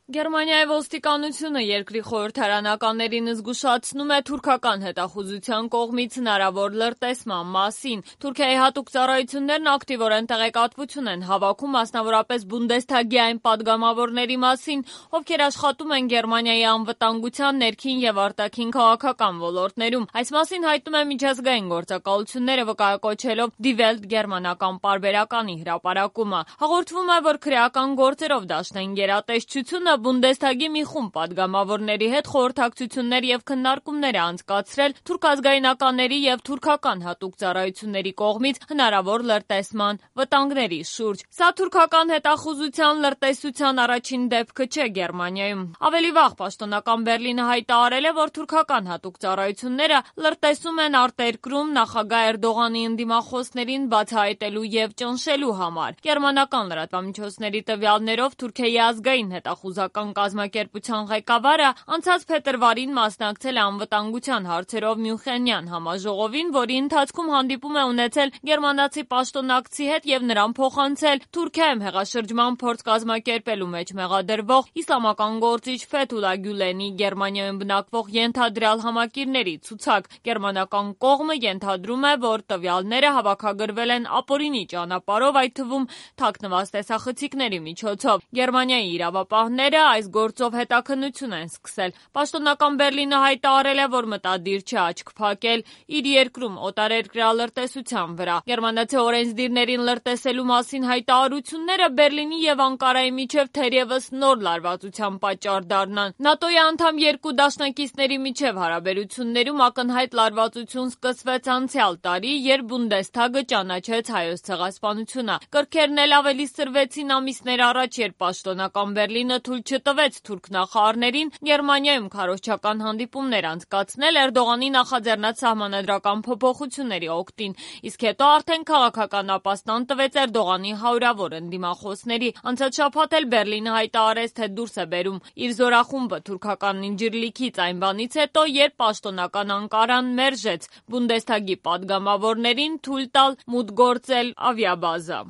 Գերմանիայի ոստիկանությունը երկրի խորհրդարանականներին զգուշացնում է թուրքական հետախուզության կողմից հնարավոր լրտեսման մասին։ Թուրքիայի հատուկ ծառայություններն ակտիվորեն տեղեկատվություն են հավաքում մասնավորապես Բունդեսթագի այն падգամավորների մասին, ովքեր աշխատում են Գերմանիայի անվտանգության, ներքին եւ արտաքին քաղաքական ոլորտներում։ Այս մասին հայտնում է միջազգային գործակալությունները վկայակոչելով Die Welt գերմանական պարբերականի հրապարակումը։ Հաղորդվում է, որ քրեական գործերով դաշնային գերատեսչությունը Բունդեսթագի մի խումբ падգամավորների հետ խորհրդակցություններ եւ քննարկումներ է անցկացրել թուրքազգայնականների եւ թուրքական հատուկ ծառայությունների կողմից հնարավոր լրտեսման վտանգների շուրջ։ Սա թուրքական հետախուզության լրտեսության առաջին դեպքը չէ Գերմանիայում։ Ավելի վաղ պաշտոնական Բերլինը հայտարարել է, որ թուրքական հատուկ ծառայությունները լրտեսում են արտերկրում նախագահ Էրդողանի ընդդիմախոսներին բացահայտելու եւ ճնշելու համար։ Գերմանական լրատվամիջոցների տվյալներով Թուրքիայի ազգային հետախուզական կազմակերպության ղեկավարը անցած փետրվարին մասնակցել է անվտանգության հարցերով Մյունխենյան համաժողովին, որի ընթացքում հանդիպում է ունեցել գերմանացի պաշտոնակցի հետ եւ նրան փոխանցել Թուրքիայում հեղաշրջման փորձ կազմակերպելու մեջ մեղադրվող իսլամական գործիչ Ֆեթուլա Գյուլենի Գերմանիայում բնակվող ենթադրյալ համակիրների ցուցակ։ Գերմանական կողմը ենթադրում է, որ տվյալները հավաքագրվել են ապօրինի ճանապարհով, այդ թվում թաքնված տեսախցիկների միջոցով։ Գերմանիայի իրավապահները այս գործով հետաքննություն են սկսել։ Պաշտոնական Բերլինը հայտարարել է, որ մտադիր չէ աչք փակել իր երկրում օտարերկրյա լրտեսության վրա։ Գերմանացի օրենսդիրներին լրտեսելու մասին հայտարարությունները Բերլինի եւ Անկարայի միջև թերևս նոր լարվածության պատճառ դառնան։ ՆԱՏՕ-ի անդամ երկու դաշնակիցների միջև հարաբերություններում ակնհայտ լարվածություն սկսվեց անցյալ տարի, երբ Բունդեսթագը ճանաչեց Հայոց ցեղասպանությունը։ Կրքերն էլ ավելի սրվեցին ամիսներ առաջ, երբ պաշտոնական Բերլինը թույլ չտվեց թուրք նախարարներին Գերմանիայում քարոզչական հանդիպումներ անցկացնել Էրդողանի նախաձեռնած սահմանադրական փոփոխությունների օգտին, իսկ հետո արդեն քաղաքական ապաստան տվեց Էրդողանի հարյուրավոր ընդդիմախոսների։ Անցած շաբաթ էլ Բերլինը հայտարարեց, թե դուրս է բերում իր զորախումբը թուրքական Ինջիրլիքից այն բանից հետո, երբ պաշտոնական Անկարան մերժեց Բունդեսթագի падգամավորներին թույլ տալ մուտք գործել ավիաբազա։